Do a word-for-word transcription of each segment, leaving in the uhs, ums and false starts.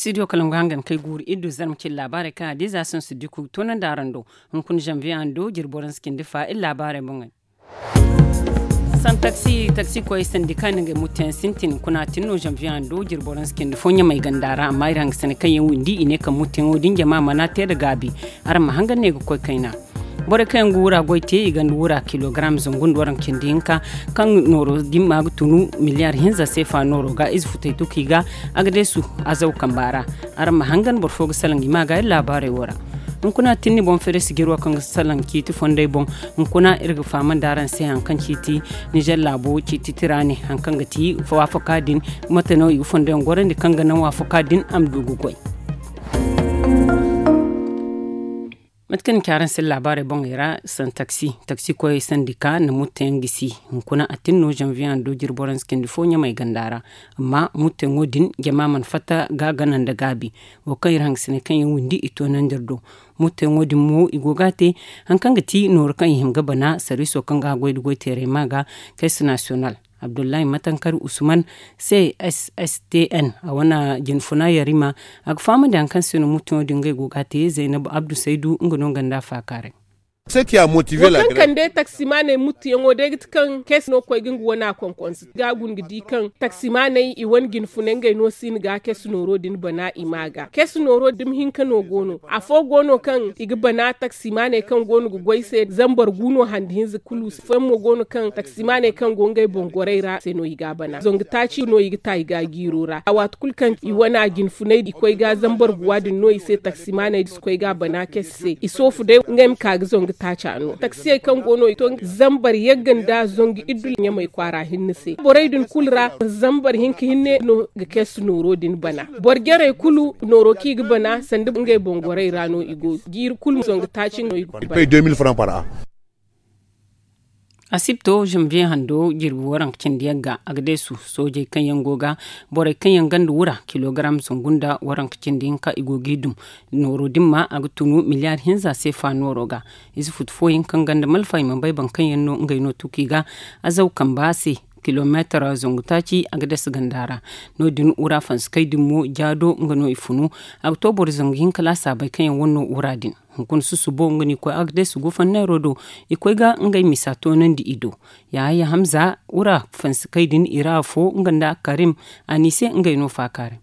Studio kala nga hangan kay guuru iddu zarma cin laabaarey kaŋ a diiza sansu diku toonandi araŋ do. Hunkuna zanviye hando jirbi waransa cindi fa iri laabaarey boŋey. San taksi taksi koyey sandi kaŋ i na ngey mutteyaŋ sintin kuna tin no zanviye hando jirbi waransa cindi fo ɲamay ganda ra amma iri hangasane kaŋ yaŋ windi i ne kaŋ mutteyaŋo din jama mana te nda gaabi. Araŋ ma hangan ne ga koy kayna. Borey kaŋ yaŋ ga wura goy te i ganda wura kilogaram zangu nda waranka cindi hinka, kaŋ nooro dimma ga tunu miliyaar hinza seefa nooro ga ize futey tuki ga. A ga deesu azaw kamba ra. Araŋ ma hangan boro fo ga salaŋ i ma ga iri laabaarey wo ra. Hunkuna tinni boŋ feere sijiro kaŋ ga salaŋ ciiti fondey boŋ. Hunkuna iri ga fahamandi araŋ se hari kaŋ ciiti nizer laabo ciiti tira ne hari kaŋ ga ti waafaka din. Mate no i ga fondoyaŋ gorandi kaŋ ga naŋ waafaka din a ma du ga goy. Mate kaŋ ni ci araŋ se laabaarey boŋey ra, san taksi taksi koyey sandi ka na mutteyaŋ gisi. Hunkuna a tin no zanviye hando jirbi waransa cindi fo ɲamay ganda ra. Amma mutteyaŋo din jama mana fatta ga gana nda gaabi. Wo kaŋ iri hangasine kaŋ yaŋ windi i toonandi iri do. Mutteyaŋo din mo i go ga a te hari kaŋ ga ti nooru kaŋ i hima ga bana sarwiiso kaŋ ga a goy nda goy teeray ma ga. Keesi nasiyonal abdullahi matankari usman, c s s t n a wane jinfuna yarima. A ga fahamandi hari kaŋ se no mutteyaŋo din ngey go ga a te zaynab abdu saydu nga no nga nda a faakaaray. Wo kaŋ kande taksimaaney muttuyaŋo day ga ti kaŋ kes no koy ga nga wana konkonse ga a guna ga di kaŋ taksimaaney i wane jinfunay ngey no si ni ga kes nooro din bana i ma ga kes nooro dumi hinka no go no afo go no kaŋ i ga bana taksimaaney kaŋ go no ga goy se zambar gu no handi hinza kulu se fooyaŋ mo go no kaŋ taksimaaney kaŋ go ngey boŋ gorey ra se no i ga a bana zangu taaci no i ga ta i ga a jiiro ra a waati kulu kaŋ i wana jinfunay i koy ga zambar guwa din no i se taksimaaney da si koy ga a bana kes se i soofu day ngey ma ka ga zangu taaca no taksiyey kaŋ go no i to zambar yagga nda zangu iddu ɲamey kwaara hinne se borey din kulu ra zambar hinka hinne no ga keesu nooro din bana boro jarey kulu nooro kaŋ i ga bana sanda ngey boŋ gorey ra no i go jiiri kulu zangu taaci no i go bana. Asibto zanviye hando jirbi waranka cindi yagga a ga deesu soojey kaŋ yaŋ go ga borey kaŋ yaŋ ganda wura kilogaram zangu nda waranka cindi hinka i go g'i dum. Nooro din ma a ga tunu miliyaar hinza seefa nooro ga. Ize futu fooyaŋ kaŋ ganda malfa i mana bay boro kaŋ yaŋ no ngey no tuki ga. Azaw kamba se kilomeetar zangu taaci a ga dasa ganda ra. No- din wura fansi kay din mo jaado nga no i funu. A ga to boro zangu hinka laasaabey kaŋ yaŋ wane no wura din. Hunkuna susubo nga no i koy a ga deesu gufanneero do. I koy ga ngey misa toonandi i do. Yahaya hamza wura fansi kay din i ra afo nga nda karim. A ne i se ngey no faakaaray.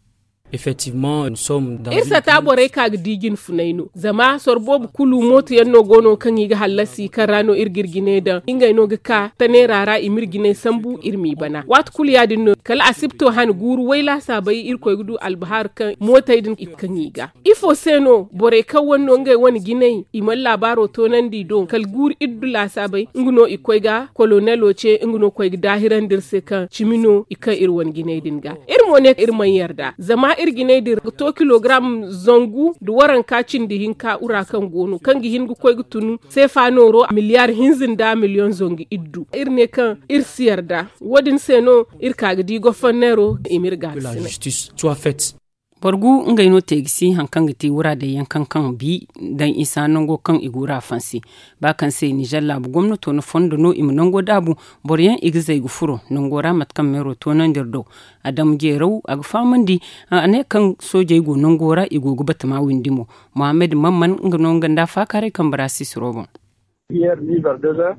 Iri sata borey ka ga di jinfunay no zama soro boobo kulu mooto yaŋ no go no kaŋ i ga hallasi kaŋ ra no iri ga iri jinay daŋ ngey no ga ka taneera ra i ma iri jinay sambu iri m'i bana waati kulu ya- din no kala asibto han guuru way laasaabey irkoy ga du albahaari kaŋ mootey din i kaŋ i ga ifo se no borey kaŋ wane no ngey wane jinay i mana laabaaro toonandi i do kala guuru iri du laasaabey nga no i koy ga kolonelo ce nga no koy ga daahirandi iri se kaŋ cimi no i kaŋ iri wane jinay din ga. Iri mo ne iri mana yarda zama iri jinay din ra ga to kilogaram zangu nda waranka cindi hinka wura kaŋ go no kaŋ ga hin ga koy ga tunu seefa nooro miliyaar hinza nda miliyoŋ zangu iddu iri ne kaŋ iri si yarda. Wo- din se no iri ka ga di goforneero i ma iri gaakasinay. Boro gu ngey no te ga si hari kaŋ ga ti wura day yaŋ kaŋ kaŋ bi daŋ isa nango kaŋ i ga wura fansi. Ba kaŋ se nizer laabu gomnato na fondo no i ma nango daabu. Boro yaŋ i ga zay ga furo nango ra mate kaŋ meero toonandi iri do. Adamu jeeraw a ga fahamandi a ne kaŋ soojey go nango ra i go ga batama windi mo. Muhammad mamman nga no nga nda faakaaray kambe ra sisiro boŋ.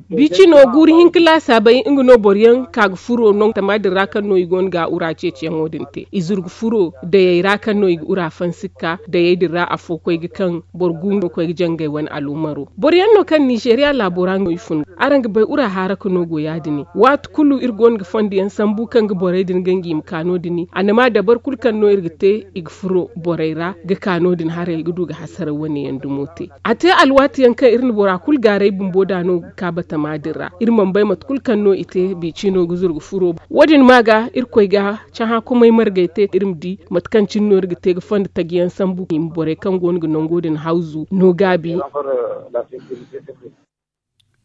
Bicino guuru hinka laasaabey nga no boro yaŋ ka ga furo no tama din ra kaŋ no i go no ga wura ceeciyaŋo din te i zuru ga furo dayey ra kaŋ no i ga wura fansi ga ka dayey din ra afo koy ga kaŋ boro gu no koy ga jangay wane alumaro boro yaŋ no kaŋ nizeeriya laabo ra no i fun. Araŋ ga bay wura haaraka no go ya- din waati kulu iri go no ga fondo yaŋ sambu kaŋ ga borey din ganji i ma ka no- din annama dabar kulu kaŋ no iri ga te i ga furo borey ra ga ka no- din haray ga du ga hasara wane yaŋ dumo te. A te alwaati yaŋ kaŋ iri na bora kulu gaaray bumbo da no ga ka batama din ra iri mana bay mate kulu kaŋ no i te biicino ga zuru ga furo. Wo- din ma ga irkoy ga cahã komay margay te iri ma di mate kaŋ cine no iri ga te ga fondo taji yaŋ sambu i ma borey kaŋ go no ga nango din hawzu no gaabi.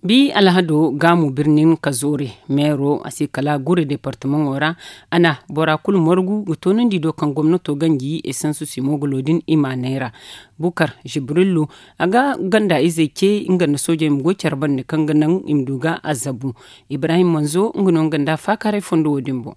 Bi alhado gaamu birnin kazoore meero a se kala gure departamaŋo ra. A na bora kulu margu ga toonandi do kaŋ gomnato ganji esansu simogulo din i ma neera. Bukar jibrillu a ga ganda izey ce nga nda soojey ma goy care bande kaŋ ga naŋ i ma du ga azabu. Ibrahim manzo nga no nga nda faakaaray fondo wo- din boŋ.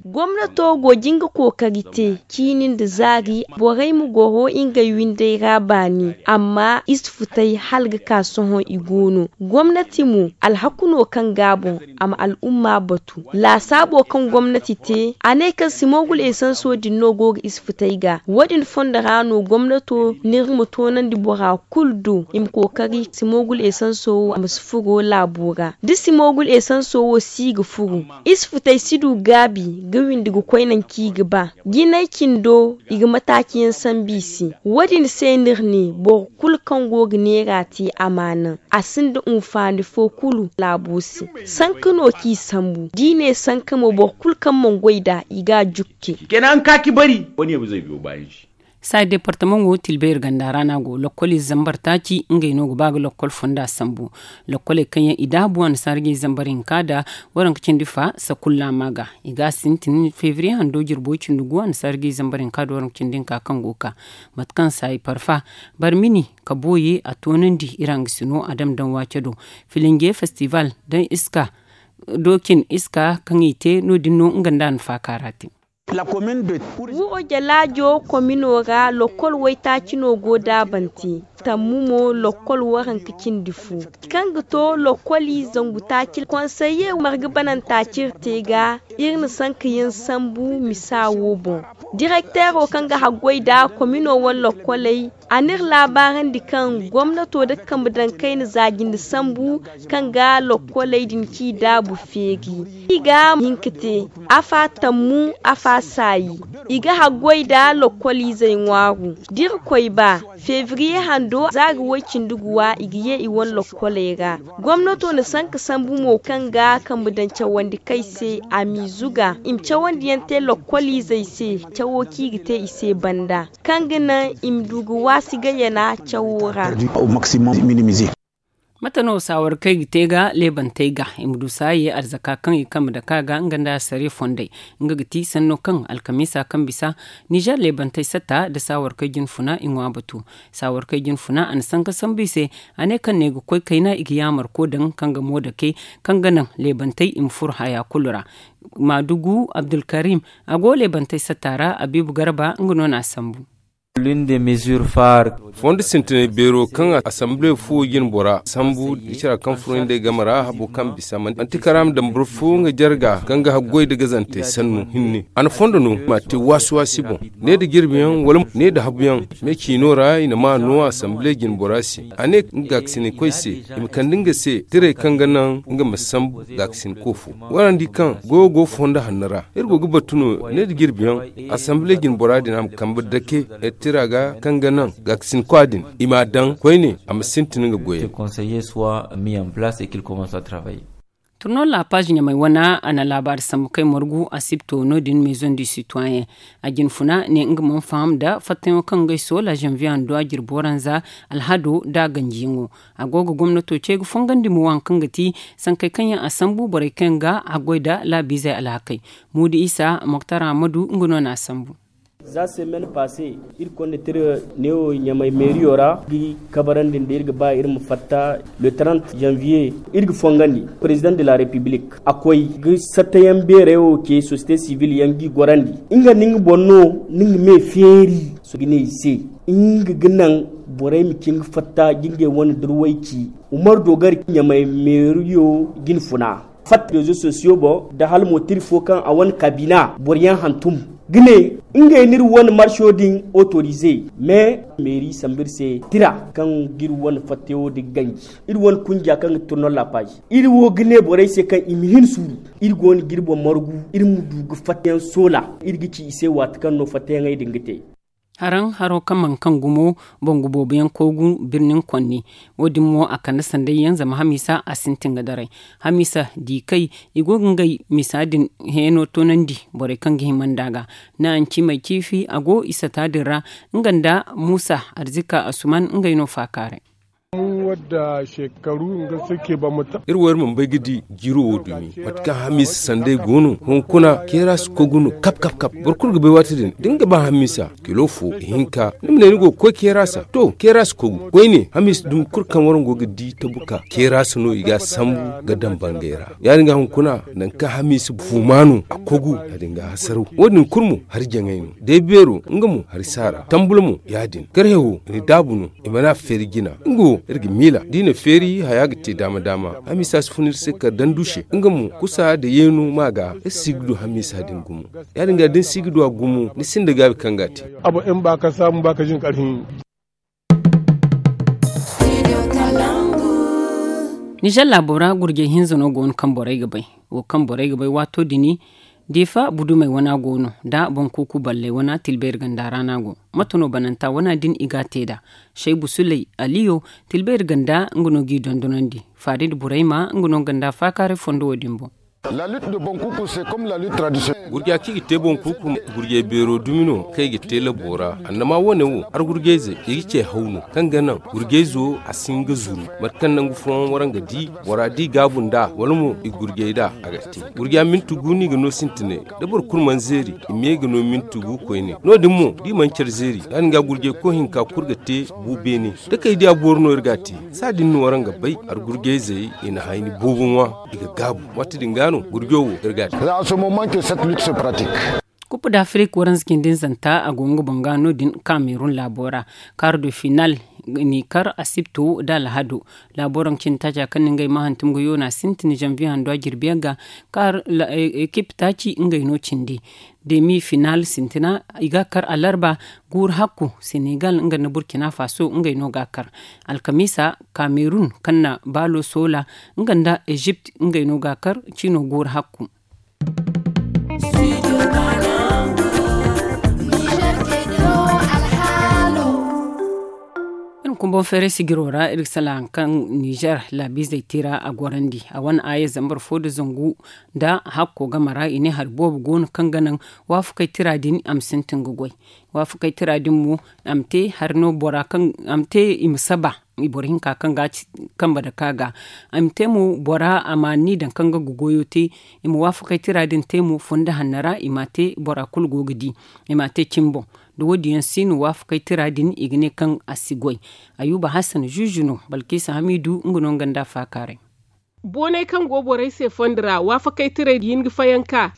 Gomnato go jin ga kookari te ciini nda zaari borey ma goro ngey windey ra baani. Amma i si futay hala ga ka sohõ i go no. Gomnati mo alhaku no kaŋ ga a boŋ a ma al'umma batu. Laasaabo kaŋ gomnati te a ne kaŋ simogul esanso din no go ga i si futay ga wo- din fondo ra no gomnato n'iri ma toonandi bora kulu do i ma kookari simogul esanso wo a ma si furo laabo ra. Da simogul esanso wo si ga furo i si futay si du gaabi ga windi ga koy nangu kaŋ i ga ba. Jinay cindo i ga mataaci yaŋ sambu i se. Wo- din se no iri ne boro kulu kaŋ go ga neera te a ma a naŋ a sinda hunfaani fo kulu laabo se. Sanka no kaŋ i sambu da i ne sanka mo boro kulu kaŋ mana goy nd'a i ga a jukke. Kenan ka ci bari. Wo- ne bizey biyo baayaŋ se. Saaya departamaŋo tilbeeri ganda ra no a go lokkol ize zambar taaci ngey no ga ba ga lokkol fonda sambu. Lokkoley kaŋ yaŋ i daabu annasaara ga i zambar hinka nd'a waranka cindi fa sakulla ma ga i ga a sintin febriye hando jirbo cindi gu annasaara ga i zambar hinka nd'a waranka cindi hinka kaŋ go ga ka. Mate kaŋ saaya parfa barmini ka booye a toonandi iri hangasino a dam daŋ waaco do filinge festival daŋ iska doocin iska kaŋ i te no- din no nga nda a na faaka ra te. Wuro jalaajo komino ra lokkol waytaaci no go daabante. Tammu mo lokkol waranka cindi fo kaŋ ga to lokkoli zangu taaci konseye marga bananta cire te ga iri na sanka yaŋ sambu misa wo boŋ. Direkteero kaŋ ga haggoy nd'a komino wane lokkoley a n'iri laabaarandi kaŋ gomnato nda kambe daŋ kayna za jinde sambu kaŋ ga lokkoley din kaŋ i daabu feeri. I ga hin ka te afa tammu afa saayi. I ga haggoy nda lokkol izey ŋwaaru da iri koy ba febriye hando zaari woy-cindi guwa i ga ye i wane lokkoley ra. Gomnato na sanka sambu mo kaŋ ga kambe daŋ cawandi kay se a m'i zuga i ma cawandi yaŋ te lokkol izey se cawo kaŋ i ga te i se banda kaŋ ga naŋ i ma du ga waasi gayana cawo ra. Mate no saawarkey ga te ga leebantey ga i ma du saaye arzaka kaŋ i kambe dake a ga nga nda sare fondey. Nga ga ti sanno kaŋ alkamiisa kaŋ bisa nizer leebantey satta nda saawarkey jinfuna i ŋwa batu. Saawarkey jinfuna a na sanka sambu i se a ne kaŋ ne ga koy kayna i ga yaamarko daŋ kaŋ ga mo dake kaŋ ga naŋ leebantey i ma furo haya kulu ra. Maadugu abdulkarim a go leebantey satta ra abiibu garba nga no na a sambu. Fondo sintinay beero kaŋ asamble fo jine bora sambu da cara kaŋ furo nda ay game ra habo kaŋ bisa manti karaama dambara fo nga jarga kaŋ ga haggoy nda gazantey sannu hinne a na fondo no ma te waasi-waasi boŋ ne nda jirbiyaŋ wala ne nda habuyaŋ me ciino ra i na ma no asamble jine bora se a ne nga gaakasinay koy se i ma kande nga se tiray kaŋ ga naŋ nga ma sambu gaakasinay koofo. Warandi kaŋ goyo go fondo hanno ra iri go ga batu no ne nda jirbiyaŋ asamble jine bora din a ma kambe dake iri tira ga kaŋ ga naŋ gaakasin kwa din i m'a daŋ koyne a ma sintin nga goyey. Turnal la page ɲamay wana a na laabaari sambu kay margu a sibto no- din maison du citoyen. A jinfuna ne nga mana faham nda fattayaŋo kaŋ ga ay soola janvier handu a jirbi waranza alhado nda a ganjiyaŋo. A go ga gomnato ce ga fongandi mo waŋ kaŋ ga ti sankey kaŋ yaŋ a sambu borey kaŋ ga a goy nda laabiizey alhakey. Muudu isa moktar ahamadu nga no na a sambu. Za semen passe iri konda tira neewo ɲamay meeriyo ra ga kabarandi nda iri ga ba iri ma fatta le trente janvier iri ga fongandi président de la république a koy ga sattayaŋ beerey wo ce société civile yaŋ g'i gorandi nga nda nga boŋ no ni ga me feeri. Sohõ ga ne i se nga ga naŋ borey ma cin ga fatta ga ngey wane durway ci. Umaru dogari ɲamay meeriyo jine funa fatta rezo sosiyo boŋ nda hala mo tira fo kaŋ a wane kabina boro yaŋ hantum ga ne ngey no iri wane marso din autorize. Mais meeri sambu iri se tira kaŋ ga iri wane fattayo din ganji iri wane kunja kaŋ ga turnal la page iri wo ga ne borey se kaŋ i ma hin suuru. Iri go no ga iri boŋ margu iri ma du ga fattayaŋ soola iri ga ci i se waati kaŋ no fattayaŋey din ga te. Haraŋ haro kaŋ mana kaŋ gumo bangu boobo yaŋ koogu birnin konni. Wo- din mo a kande sanday yaŋ zama hamiisa a sintin ga daray. Hamiisa di kay i go ga ngey misa din heeno toonandi borey kaŋ ga hima nd'a ga. Naancimey ciifi a go i sata din ra nga nda muusa arzika asuman ngey no faakaaray. Wadda shekaru nga sake ba mata. Iri wo iri mana bay ga di jiiro wo dumi mate kaŋ hamiisa sanday go no. Hunkuna keera si kogu no kap kap kap. Boro kulu ga bay waati din da ni ga ba hamiisa kilo fo ihinka ni ma ne ni go ga koy keera se. To keera si kogu koyne hamiisa dumi kulu kaŋ waraŋ go ga di tabuka keera se no i ga a sambu ga daŋ bangay ra. Ya- din ga hunkuna nangu kaŋ hamiisa fuuma no a kogu ya- din ga hasaraw. Wo- din kulu mo hari jaŋay no day beero nga mo hari saara tambula mo ya- din karhe wo ni daabu no. I mana a feeri jina nga wo iri ga miila da i na feeri haya ga te daama daama. Hamiisa si fun iri se kala daŋ du se nga mo kusa nda yeenu ma ga iri si ga du hamiisa din gumo. Ya- din ga da ni si ga du a gumo ni sinda gaabi kaŋ ga a te. Abo in ba ka saamu ba ka jin karhi. Nizer laabo ra gurjey hinza no go no kaŋ borey ga bay. Wo kaŋ borey ga bay waato din diifa budumey wana go no nda boŋ kuuku balley wana tilbeeri ganda ra no a go. Mate no bananta wana din i ga a te nd'a? Saybu suley aliyo tilbeeri ganda nga no g'i dondonandi. Faari nda burayma nga no ganda faakaaray fondo wo- din boŋ. Gurja kaŋ i ga te boŋ kuuku gurjey beero dumi no kaŋ i ga te labo ra. Annama wane wo har gurjayzey i ga ce haw no kaŋ ga naŋ gurjayzo a si hin ga zuru. Mate kaŋ nangu fooyaŋ waraŋ ga di bora da i gaabu nd'a wala mo i gurjay nd'a a ga te. Gurja minti gu no i ga no sintinay da boro kulu mana zeeri i me ga no minti gu koyne. No- din mo da i mana care zeeri ya- din ga gurjay koy hinka kulu ga te bu beene. Takaydiya boori no iri ga a te. Saa din no waraŋ ga bay har gurjayzey i na hayni boobo ŋwa i ga gaabu. Waati din ga no gurjo wo iri ga a te. Za a somo manke set luxe pratik. Kupu da afirik waranza cindi nzanta a go nga boŋ ga no- din kamerun laabo ra. Kaaru do final n'i kar asibto nda alhado. Laabo ra nga cindi taaca kaŋ na ngey ma hantum ga yoona sintin zanviye hando a jirbi yaŋ ga. Ekip taaci ngey no cindi. Demi final sintina i ga a kar alarba. Guuru hakku senegal nga nda burkina faso ngey no ga a kar. Alkamiisa kamerun kaŋ na baalo soola nga nda ezipt ngey no ga a kar. Ciino guuru hakku. Iri ma kumbaŋ feeray sijiro ra iri ga salaŋ hari kaŋ nizer laabiizey tira a gorandi a wane aaya zambar fo nda zangu nda hakko game ra i ne hari boobo go no kaŋ ga naŋ waafakey tira din a ma sintin ga goy. Waafakey tira din mo a ma te hari no bora kaŋ a ma te i ma saba boro hinka kaŋ ga a ci kambe dake a ga. A ma te mo bora a ma ni daŋ kaŋ ga goyo te. I ma waafakey tira din te mo fondo hanno ra i m'a te bora kulu go ga di. I m'a te cimi boŋ. Da wo- din yaŋ si no waafakey tira din i ga ne kaŋ a si goy. Ayuba hassan zuzu no balkiisa hamiidu nga no nga nda a faakaaray. Boonay kaŋ go borey se fondo ra waafakey tirey ga hin ga fayanka.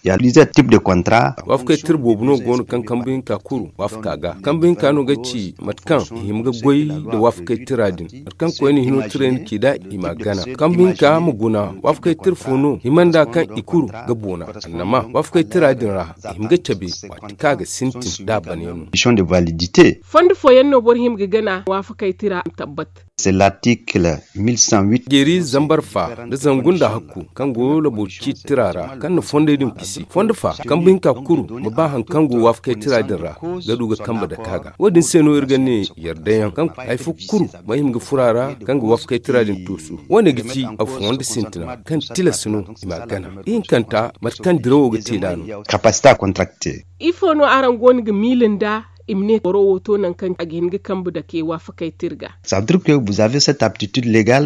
Waafakey tira boobo no go no kaŋ kambe hinka kuru waafaka ga kambe hinka no ga ci mate kaŋ i hima ga goy nda waafakey tira din. Mate kaŋ koyne hino tirey na ci nd'a i m'a gana kambe hinka ma guna waafakey tira fo no hima nd'a kaŋ i kuru ga boona. Annama waafakey tira din ra i hima ga cabe waati kaŋ a ga sintin nd'a bane no. Fondo fooyaŋ no boro hima ga gana waafakey tira ma tabbat. Jeeri zambar fa nda zangu nda hakku kaŋ go labo ciiti tira ra kaŋ na fondey din kisi fondo fa kambe hinka kuru ma ba hari kaŋ go waafakey tira din ra ga du ga kambe dake a ga. Wo- din se no iri ga ne yarda yaŋ kaŋ hari fo kuru ma hima ga furo a ra kaŋ ga waafakey tira din tuusu. Wo- ne ga ci a fondo sintina kaŋ tilas no i m'a gana ihinkanta mate kaŋ dirawo ga te nd'a no. Ifo no araŋ go no ga miila nd'a i ma ne boro wo to nangu kaŋ a ga hin ga kambe dake waafakey tira ga?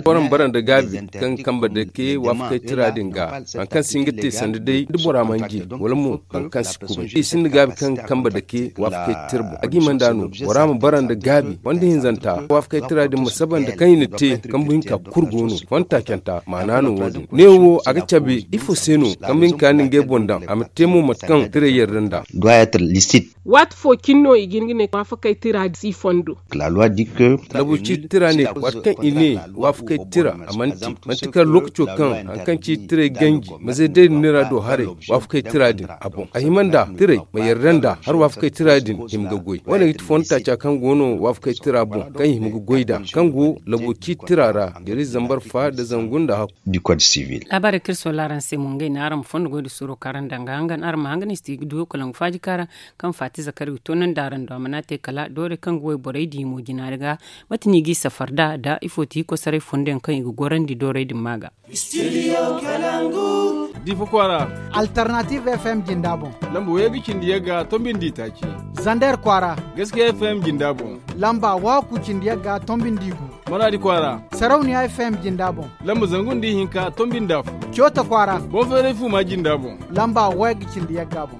Waraŋ bara nda gaabi kaŋ kambe dake waafakey tira din ga hari kaŋ si hin ga te sanda day da bora mana je wala mo hari kaŋ si kubay i sinda gaabi kaŋ kambe dake waafakey tira boŋ a ga hima nd'a no bora ma bara nda gaabi fondo hinzanta waafakey tira din ma saba nda kaŋ i na te kambe hinka kulu go no fondo taacanta maana no wo- din neewo a ga cabe ifo se no kambe hinka na ngey boŋ daŋ a ma te mo mate kaŋ tirey yarda nd'a. Waati fo cine no i ga hin ga ne waafakey tira si fondo. Labo ciiti tira ne waati kaŋ i ne waafakey tira a manti manti kala lookaco kaŋ hari kaŋ ciiti tirey ganji mazey day din no i ra do haray waafakey tira din a boŋ a hima nd'a tirey ma yarda nd'a hari waafakey tira din hima ga goy wo- ne ga ti fondo taaca kaŋ go no waafakey tira boŋ kaŋ i hima ga goy nd'a kaŋ go labo ciiti tira ra jeeri zambar fa nda zangu nda hakku. Laabaarey kaŋ iri sohõ laaraŋ se mo ngey no araŋ ma fondo goy nda suuro kaŋ araŋ daŋ ga hangan araŋ ma hangan i si ti ga du kalangu faaji kaŋ ra kaŋ faati zakari ga toonandi araŋ do a mana te kala doorey kaŋ ga wayborey di mo jina ga. Mate no i g'i safar nd'a nda ifo ti kosoray fondo yaŋ kaŋ i ga gorandi doorey din ma ga. Diifa kwaara. Alternative fm jinda boŋ. Lamba way ga cindi yagga tombi nda i taaci. Zander kwaara. Gaskiya fm jinda boŋ. Lamba waaku cindi yagga tombi nda i gu. Maraadi kwaara. Sarauniya F M jinda boŋ. Lamba zangu nda ihinka tombi nda afo. Coota kwaara. Boŋ feeray fuuma jinda boŋ. Lamba wayga cindi yagga boŋ.